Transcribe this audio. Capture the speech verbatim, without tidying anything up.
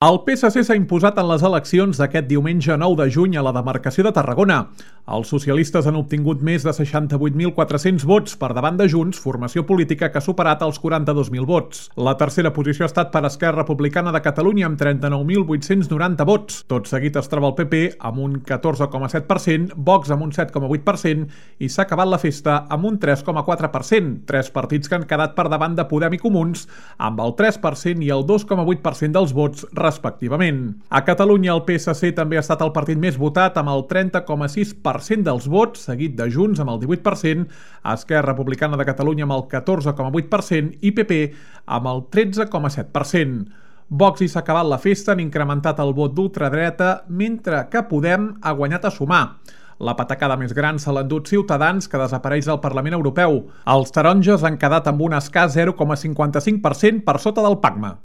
El P S C s'ha imposat en les eleccions d'aquest diumenge nou de juny a la demarcació de Tarragona. Els socialistes han obtingut més de seixanta-vuit mil quatre-cents vots per davant de Junts, formació política que ha superat els quaranta-dos mil vots. La tercera posició ha estat per Esquerra Republicana de Catalunya amb trenta-nou mil vuit-cents noranta vots. Tot seguit es troba el P P amb un catorze coma set per cent, Vox amb un set coma vuit per cent i s'ha acabat la festa amb un tres coma quatre per cent. Tres partits que han quedat per davant de Podem i Comuns amb el tres per cent i el dos coma vuit per cent dels vots respectivament. A Catalunya el P S C també ha estat el partit més votat amb el trenta coma sis per cent dels vots, seguit de Junts amb el divuit per cent, Esquerra Republicana de Catalunya amb el catorze coma vuit per cent i P P amb el tretze coma set per cent. Vox i s'ha acabat la festa han incrementat el vot d'ultradreta, mentre que Podem ha guanyat a sumar. La patacada més gran se l'ha endut Ciutadans, que desapareix del Parlament Europeu. Els taronges han quedat amb un escàs zero coma cinquanta-cinc per cent per sota del Pacma.